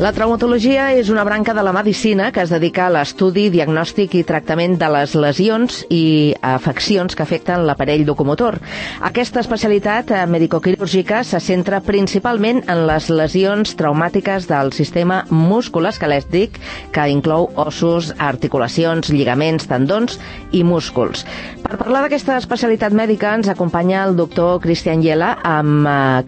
La traumatologia és una branca de la medicina que es dedica a l'estudi, diagnòstic i tractament de les lesions i afeccions que afecten l'aparell locomotor. Aquesta especialitat medicoquirúrgica se centra principalment en les lesions traumàtiques del sistema musculoesquelètic, que inclou ossos, articulacions, lligaments, tendons i músculs. Per parlar d'aquesta especialitat mèdica ens acompanya el doctor Cristian Yela,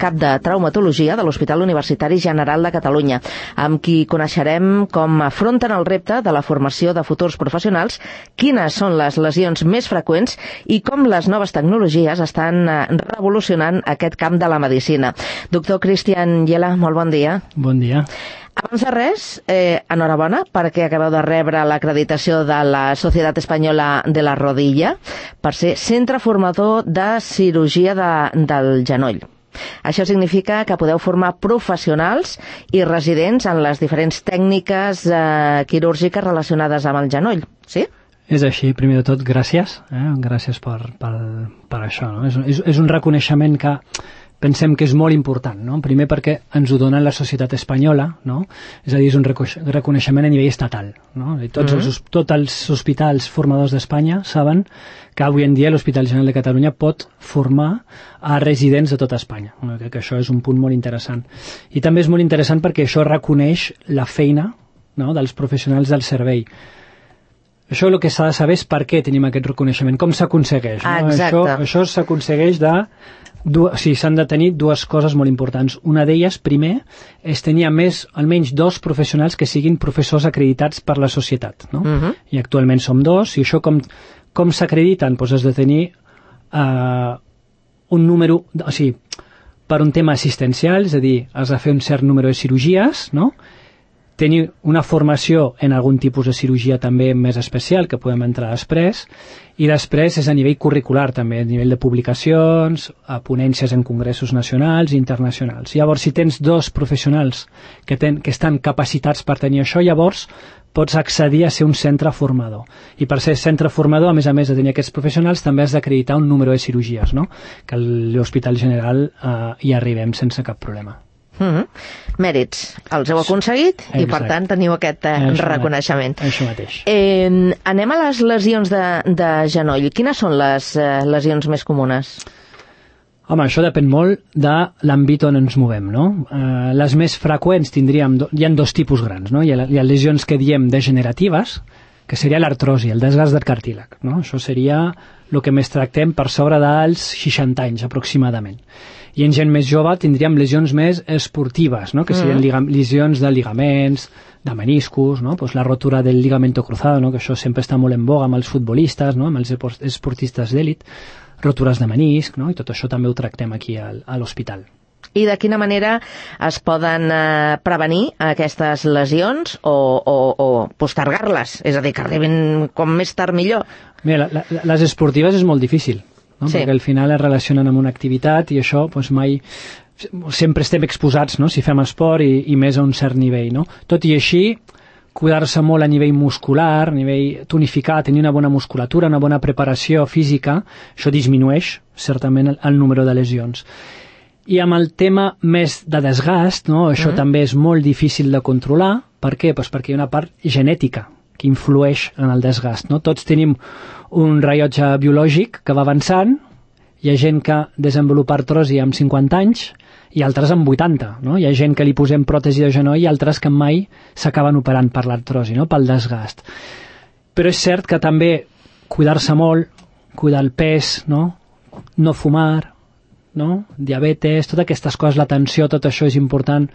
cap de traumatologia de l'Hospital Universitari General de Catalunya, amb qui coneixerem com afronten el repte de la formació de futurs professionals, quines són les lesions més freqüents i com les noves tecnologies estan revolucionant aquest camp de la medicina. Doctor Cristian Yela, molt bon dia. Bon dia. Abans de res, enhorabona perquè acabeu de rebre l'acreditació de la Societat Espanyola de la Rodilla per ser centre formador de cirurgia del genoll. Això significa que podeu formar professionals i residents en les diferents tècniques quirúrgiques relacionades amb el genoll, sí? És així, primer de tot, gràcies. Gràcies per això. No? És un reconeixement que pensem que és molt important, no? Primer perquè ens ho dona la societat espanyola, no? És a dir, és un reconeixement a nivell estatal, no? I tots els hospitals formadors d'Espanya saben que avui en dia l'Hospital General de Catalunya pot formar a residents de tota Espanya. Crec que això és un punt molt interessant. I també és molt interessant perquè això reconeix la feina, no?, dels professionals del servei. Això el que s'ha de saber és per què tenim aquest reconeixement, com s'aconsegueix. No? Això s'aconsegueix s'han de tenir dues coses molt importants. Una d'elles, primer, és tenir almenys 2 professionals que siguin professors acreditats per la societat. No? I actualment som 2, i això com s'acrediten? Doncs has de tenir un número, o sigui, per un tema assistencial, és a dir, has de fer un cert número de cirurgies, no? Tenir una formació en algun tipus de cirurgia també més especial, que podem entrar després, i després és a nivell curricular també, a nivell de publicacions, a ponències en congressos nacionals i internacionals. Llavors, si tens 2 professionals que estan capacitats per tenir això, llavors pots accedir a ser un centre formador. I per ser centre formador, a més de tenir aquests professionals, també has d'acreditar un número de cirurgies, no? Que a l'Hospital General hi arribem sense cap problema. Mèrits, els heu aconseguit. Exacte. I per tant teniu aquest reconeixement. Això mateix. Anem a les lesions de genoll. Quines són les lesions més comunes? Home, això depèn molt de l'àmbit on ens movem, no? Les més freqüents tindríem, hi ha 2 tipus grans, no? Hi ha lesions que diem degeneratives, que seria l'artrosi, el desgast del cartílag, no? Això seria el que més tractem per sobre dels 60 anys aproximadament. I en gent més jove tindríem lesions més esportives, no? Que serien lesions de lligaments, de meniscus, no? Pues la rotura del ligamento cruzado, no? Que això sempre està molt en boga amb els futbolistes, no? Amb els esportistes d'èlit, rotures de menisc, no? I tot això també ho tractem aquí a l'hospital. I de quina manera es poden prevenir aquestes lesions o postergar-les? És a dir, que arribin com més tard millor? Mira, les esportives és molt difícil, no? Sí. Perquè al final es relacionen amb una activitat i això doncs mai sempre estem exposats, no? Si fem esport i més a un cert nivell, no? Tot i així, cuidar-se molt a nivell muscular, a nivell tonificar, tenir una bona musculatura, una bona preparació física, això disminueix certament el número de lesions. I amb el tema més de desgast, no? Això també és molt difícil de controlar. Per què? Pues perquè hi ha una part genètica que influeix en el desgast, no? Tots tenim un rellotge biològic que va avançant, hi ha gent que desenvolupa artrosi amb 50 anys i altres amb 80, no? Hi ha gent que li posem pròtesi de genoll i altres que mai s'acaben operant per l'artrosi, no? Pel desgast. Però és cert que també cuidar-se molt, cuidar el pes, no? No fumar, no? Diabetes, totes aquestes coses, l'atenció, tot això és important.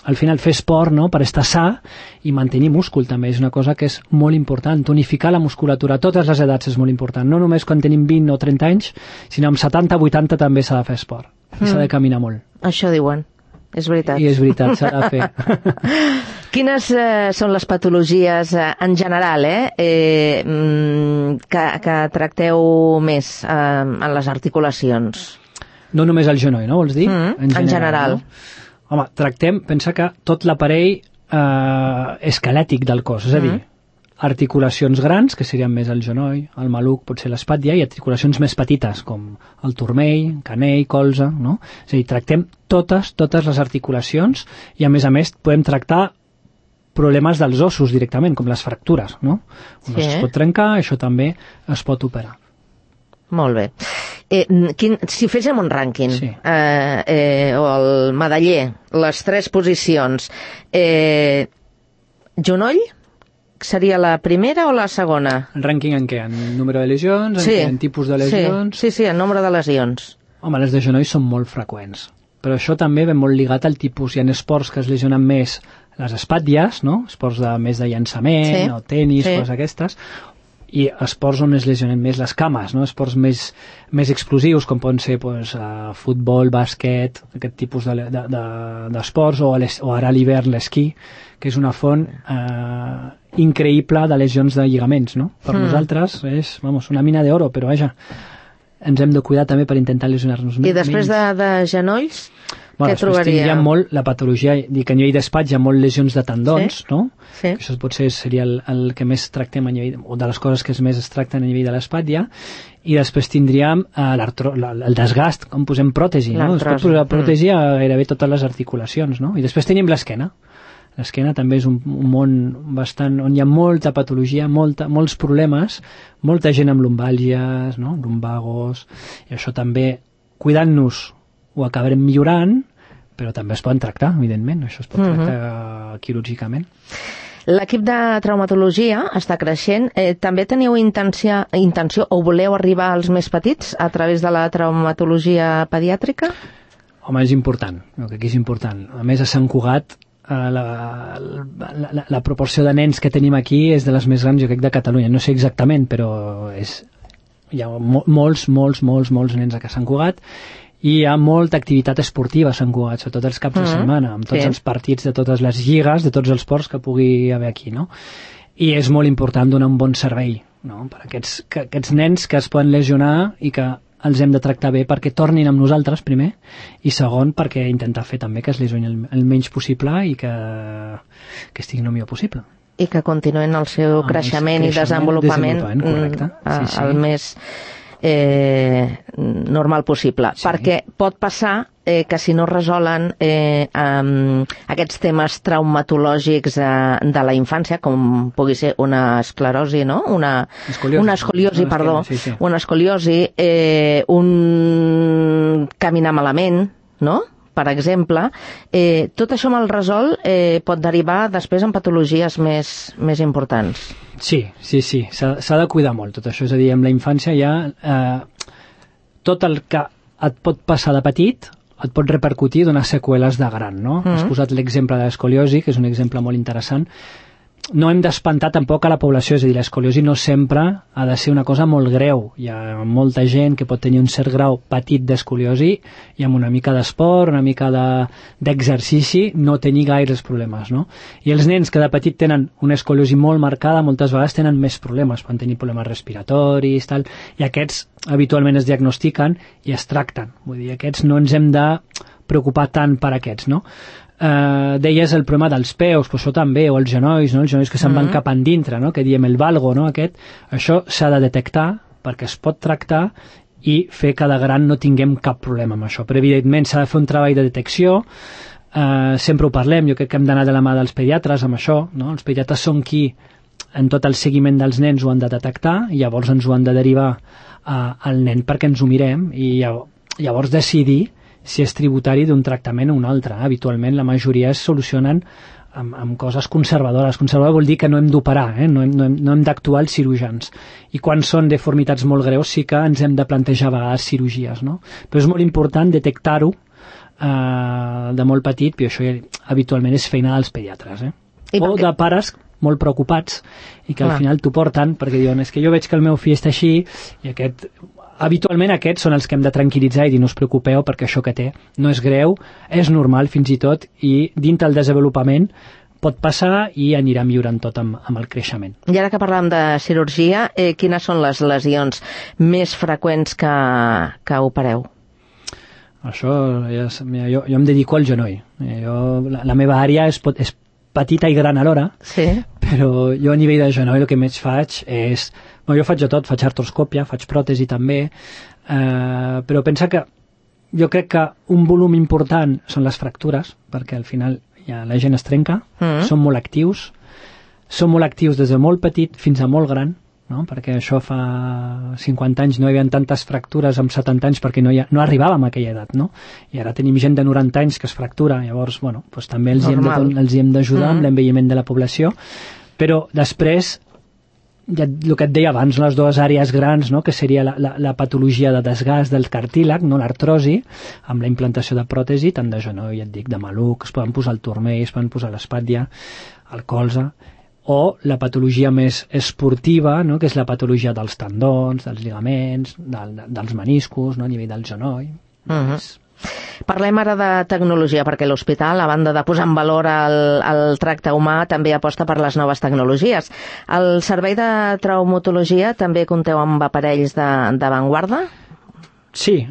Al final fer esport, no? Per estar sa i mantenir múscul també és una cosa que és molt important. Tonificar la musculatura a totes les edats és molt important, no només quan tenim 20 o 30 anys, sinó amb 70 o 80 també s'ha de fer esport i s'ha de caminar molt. Això diuen, és veritat. I és veritat, s'ha de fer. Quines són les patologies en general que tracteu més en les articulacions? No només el genoll, no, vols dir? En general. No? Home, pensa que tot l'aparell esquelètic del cos, és a dir, articulacions grans, que serien més el genoll, el maluc, potser l'espatlla, i articulacions més petites, com el turmell, canell, colze, no? És a dir, tractem totes les articulacions i, a més, podem tractar problemes dels ossos directament, com les fractures, no? Un os es pot trencar, això també es pot operar. Molt bé. Si féssim un rànquing, sí. O el medaller, les 3 posicions, genoll seria la primera o la segona? El rànquing en què? En número de lesions? En tipus de lesions? Sí, en nombre de lesions. Home, les de genoll són molt freqüents, però això també ve molt lligat al tipus. Hi ha esports que es lesionen més les espatlles, no? Esports més de llançament, o tenis, coses aquestes, i esports on es lesionen més les cames, no? Esports més explosius, com poden ser futbol, bàsquet, aquest tipus d'esports, o ara a l'hivern l'esquí, que és una font increïble de lesions de lligaments, no? Per nosaltres és, una mina d'oro, però vaja, ens hem de cuidar també per intentar lesionar-nos menys. I després de genolls, què després trobaria? Tindríem molt la patologia, dic, a nivell d'espatlla, hi ha molt lesions de tendons, no? Sí. Això potser seria el que més tractem a nivell, o de les coses que més es tracten a nivell de l'espatlla, i després tindríem el desgast, com posem pròtesi, no? Es pot posar pròtesi a gairebé totes les articulacions, no? I després tenim l'esquena. L'esquena també és un món bastant, on hi ha molta patologia, molts problemes, molta gent amb lumbàlgies, no? Lumbagos, i això també, cuidant-nos, ho acabarem millorant, però també es poden tractar, evidentment, això es pot tractar quirúrgicament. L'equip de traumatologia està creixent. També teniu intenció o voleu arribar als més petits a través de la traumatologia pediàtrica? Home, és important, crec que és important. A més, a Sant Cugat, la proporció de nens que tenim aquí és de les més grans, jo crec, de Catalunya. No sé exactament, però hi ha molts nens a Sant Cugat, i hi ha molta activitat esportiva a Sant Cugat, sobretot els caps de setmana, amb tots els partits de totes les lligues, de tots els esports que pugui haver aquí, no? I és molt important donar un bon servei, no? Per aquests nens que es poden lesionar i que els hem de tractar bé perquè tornin amb nosaltres, primer, i segon, perquè intentar fer també que es lesionin el menys possible i que estiguin el millor possible. I que continuïn el seu creixement i desenvolupament correcte. El més normal possible, perquè pot passar que si no resolen aquests temes traumatològics de la infància, com pugui ser una esclerosi, no? Una escoliosi, una escoliosi, un caminar malament, no?, per exemple, tot això mal resolt pot derivar després en patologies més importants. Sí, s'ha de cuidar molt tot això, és a dir, amb la infància ja tot el que et pot passar de petit et pot repercutir i donar seqüeles de gran, no? Has posat l'exemple de l'escoliosi, que és un exemple molt interessant. No hem d'espantar tampoc a la població, és a dir, l'escoliosi no sempre ha de ser una cosa molt greu. Hi ha molta gent que pot tenir un cert grau petit d'escoliosi i amb una mica d'esport, una mica d'exercici, no tenir gaires problemes, no? I els nens que de petit tenen una escoliosi molt marcada, moltes vegades tenen més problemes, poden tenir problemes respiratoris, tal, i aquests habitualment es diagnostiquen i es tracten. Vull dir, aquests no ens hem de preocupar tant per aquests, no? Deies el problema dels peus, però això també, o els genolls, no? Els genolls que se'n van cap endintre, no? Que diem el valgo, no? Això s'ha de detectar perquè es pot tractar i fer que de gran no tinguem cap problema amb això, però evidentment s'ha de fer un treball de detecció. Sempre ho parlem, jo crec que hem d'anar de la mà dels pediatres amb això, no? Els pediatres són qui en tot el seguiment dels nens ho han de detectar i llavors ens ho han de derivar al nen perquè ens ho mirem i llavors decidir si és tributari d'un tractament o un altre. Habitualment la majoria es solucionen amb coses conservadores. Conservador vol dir que no hem d'operar, no hem d'actuar els cirurgians. I quan són deformitats molt greus sí que ens hem de plantejar a vegades cirurgies, no? Però és molt important detectar-ho de molt petit, i això habitualment és feina dels pediatres. O de pares molt preocupats i que al final t'ho porten perquè diuen, és que jo veig que el meu fill està així i habitualment aquests són els que hem de tranquil·litzar i dir no us preocupeu perquè això que té no és greu, és normal fins i tot i dintre el desenvolupament pot passar i anirà millorant tot amb el creixement. I ara que parlàvem de cirurgia, quines són les lesions més freqüents que opereu? Això, jo em dedico al genoll. La meva àrea és petita i gran alhora, però jo a nivell de genoll el que més faig és... Jo faig de tot, faig artroscòpia, faig pròtesi també, però pensa que jo crec que un volum important són les fractures, perquè al final ja la gent es trenca, són molt actius des de molt petit fins a molt gran, no? Perquè això fa 50 anys no hi havia tantes fractures amb 70 anys perquè no arribàvem a aquella edat, no? I ara tenim gent de 90 anys que es fractura, llavors, bueno, doncs també els hi hem d'ajudar amb l'envelliment de la població, però després ja el que et deia abans, les dues àrees grans, no? Que seria la patologia de desgast del cartílag, no? L'artrosi, amb la implantació de pròtesi, tant de genoll, ja et dic, de maluc, es poden posar al turmell, es poden posar a l'espatlla, al colze, o la patologia més esportiva, no? Que és la patologia dels tendons, dels lligaments, dels meniscos, no? A nivell del genoll. Parlem ara de tecnologia, perquè l'hospital, a banda de posar en valor el tracte humà, també aposta per les noves tecnologies. El servei de traumatologia també compteu amb aparells d'avantguarda? Sí,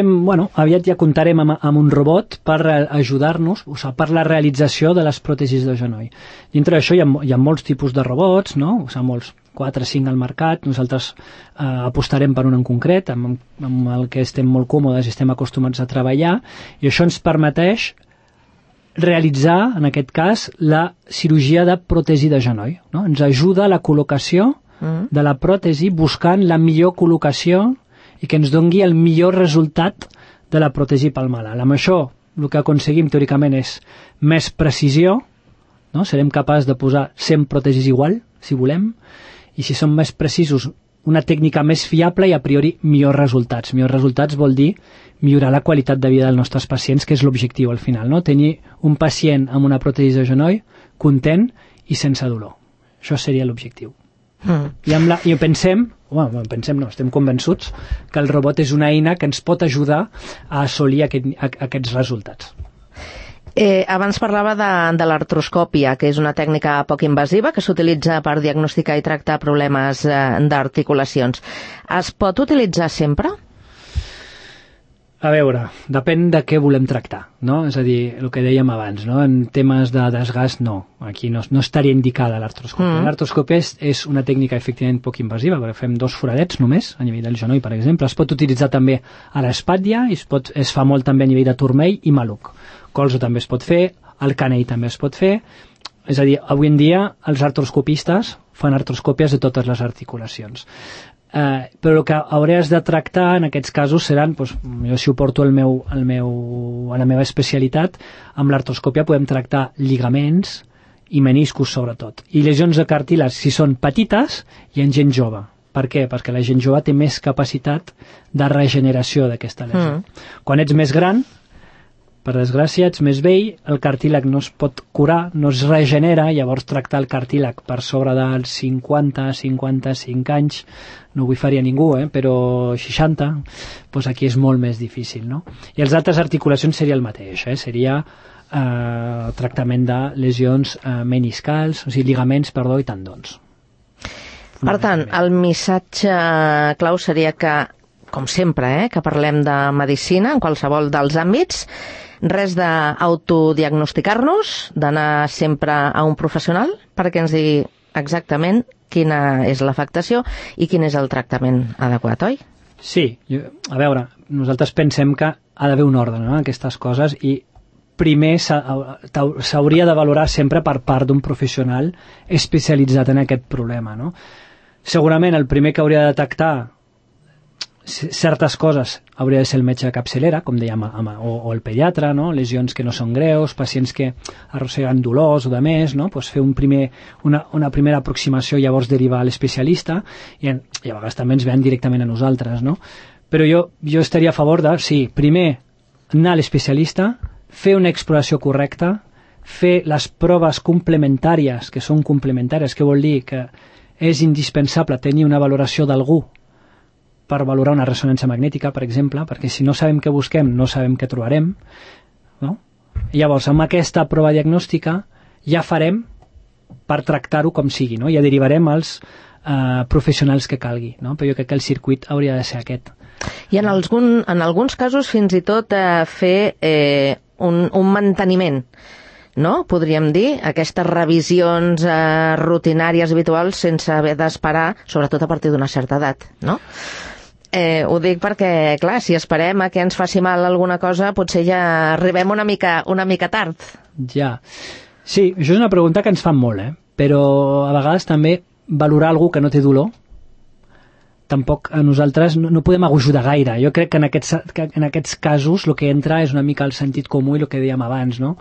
bueno, aviat ja comptarem amb un robot per ajudar-nos, o sigui, per la realització de les pròtesis de genoll. Dintre d'això hi ha molts tipus de robots, no? O sigui, molts, 4 o 5 al mercat, nosaltres apostarem per un en concret, amb el que estem molt còmodes i estem acostumats a treballar, i això ens permeteix realitzar, en aquest cas, la cirurgia de pròtesi de genoll, no? Ens ajuda a la col·locació de la pròtesi buscant la millor col·locació i que ens dongui el millor resultat de la pròtesi pel malalt. Amb això el que aconseguim teòricament és més precisió, no? Serem capaços de posar 100 pròtesis igual, si volem, i si som més precisos, una tècnica més fiable i a priori millors resultats. Millors resultats vol dir millorar la qualitat de vida dels nostres pacients, que és l'objectiu al final, no? Tenir un pacient amb una pròtesi de genoll content i sense dolor. Això seria l'objectiu. I pensem, estem convençuts que el robot és una eina que ens pot ajudar a assolir aquests resultats. Abans parlava de l'artroscòpia, que és una tècnica poc invasiva que s'utilitza per diagnosticar i tractar problemes d'articulacions. Es pot utilitzar sempre? A veure, depèn de què volem tractar, no? És a dir, el que dèiem abans, no? En temes de desgast, no. Aquí no estaria indicada l'artroscòpia. L'artroscòpia és una tècnica efectivament poc invasiva, perquè fem 2 foradets només, a nivell del genoll, per exemple. Es pot utilitzar també a l'espatlla, i es fa molt també a nivell de turmell i maluc. Colze també es pot fer, el canell també es pot fer. És a dir, avui en dia els artroscopistes fan artroscòpies de totes les articulacions. Però el que hauràs de tractar en aquests casos seran, doncs, jo si ho porto a la meva especialitat, amb l'artroscòpia podem tractar lligaments i meniscos sobretot, i lesions de cartílags si són petites i en gent jove. Per què? Perquè la gent jove té més capacitat de regeneració d'aquesta lesió. Quan ets més gran, per desgràcia, ets més vell, el cartílag no es pot curar, no es regenera, llavors tractar el cartílag per sobre dels 50-55 anys, no ho faria ningú, però 60, doncs aquí és molt més difícil, no? I les altres articulacions seria el mateix, seria tractament de lesions meniscals, o sigui, lligaments, i tendons. Per tant, el missatge clau seria que, com sempre, que parlem de medicina en qualsevol dels àmbits, res d'autodiagnosticar-nos, d'anar sempre a un professional perquè ens digui exactament quina és l'afectació i quin és el tractament adequat, oi? Sí, a veure, nosaltres pensem que ha d'haver un ordre, no?, aquestes coses, i primer s'hauria de valorar sempre per part d'un professional especialitzat en aquest problema, no? Segurament el primer que hauria de detectar certes coses hauria de ser el metge de capçalera, com dèiem, o el pediatre, no? Lesions que no són greus, pacients que arrosseguen dolors o de més, no? Pues fer una primera aproximació i llavors derivar a l'especialista, i a vegades també ens ven directament a nosaltres, no? Però jo estaria a favor de, sí, primer anar a l'especialista, fer una exploració correcta, fer les proves complementàries, que són complementàries, que vol dir que és indispensable tenir una valoració d'algú per valorar una ressonància magnètica, per exemple, perquè si no sabem què busquem, no sabem què trobarem, no? I llavors, amb aquesta prova diagnòstica ja farem per tractar-ho com sigui, no? Ja derivarem als professionals que calgui, no? Però jo crec que el circuit hauria de ser aquest. I en alguns casos fins i tot fer un manteniment. no? Podríem dir, aquestes revisions rutinàries habituals sense haver d'esperar, sobretot a partir d'una certa edat, no? Ho dic perquè, clar, si esperem a que ens faci mal alguna cosa, potser ja arribem una mica tard. Ja. Sí, això és una pregunta que ens fan molt, però a vegades també valorar algú que no té dolor, tampoc a nosaltres no podem ajudar gaire. Jo crec que en aquests casos el que entra és una mica el sentit comú i el que dèiem abans, no?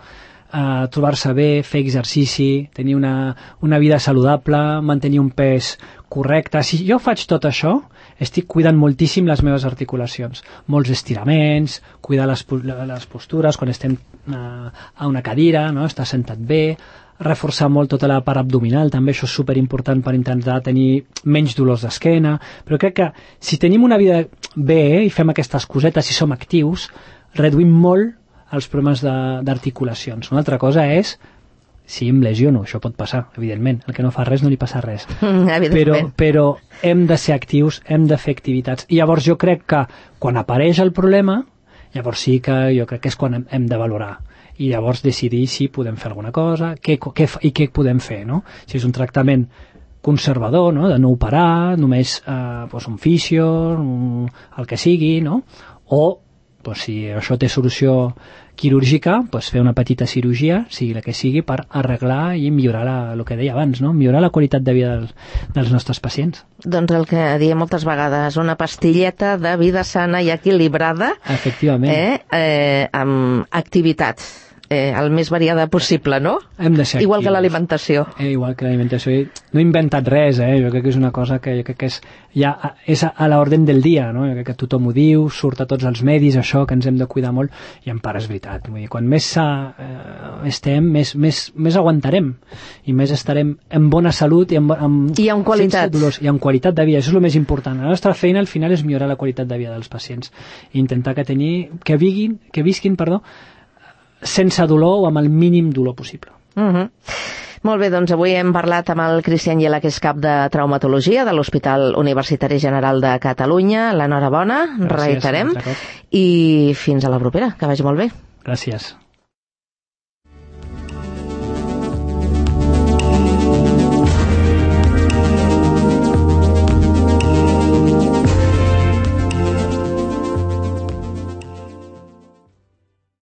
Trobar-se bé, fer exercici, tenir una vida saludable, mantenir un pes correcte. Si jo faig tot això, estic cuidant moltíssim les meves articulacions. Molts estiraments, cuidar les postures quan estem a una cadira, no? Estar sentat bé, reforçar molt tota la part abdominal, també això és superimportant per intentar tenir menys dolors d'esquena, però crec que si tenim una vida bé i fem aquestes cosetes, si som actius, reduïm molt els problemes d'articulacions. Una altra cosa és si em lesiono, això pot passar, evidentment. El que no fa res no li passa res. Però hem de ser actius, hem de fer activitats. I llavors jo crec que quan apareix el problema, llavors sí que jo crec que és quan hem de valorar. I llavors decidir si podem fer alguna cosa, què podem fer, no? Si és un tractament conservador, no? De no operar, només un fisio, el que sigui, no? O si això té solució quirúrgica, fer una petita cirurgia, sigui la que sigui, per arreglar i millorar el que deia abans, no? Millorar la qualitat de vida dels nostres pacients. Doncs el que diem moltes vegades, una pastilleta de vida sana i equilibrada, efectivament, amb activitat el més variada possible, no? Hem de ser igual actius. Que l'alimentació. Igual que l'alimentació. No he inventat res, jo crec que és una cosa que jo crec que és a l'ordre del dia, no? Jo crec que tothom ho diu, surt a tots els medis, això, que ens hem de cuidar molt, i en part és veritat. Vull dir, quan més estem, més aguantarem, i més estarem en bona salut i amb qualitat. Sense dolors, i amb qualitat de vida. Això és el més important. La nostra feina, al final, és millorar la qualitat de vida dels pacients. I intentar que visquin, sense dolor o amb el mínim dolor possible. Molt bé, doncs avui hem parlat amb el Cristian Yela, que és cap de traumatologia de l'Hospital Universitari General de Catalunya. L'enhorabona, reiterem, i fins a la propera, que vagi molt bé. Gràcies.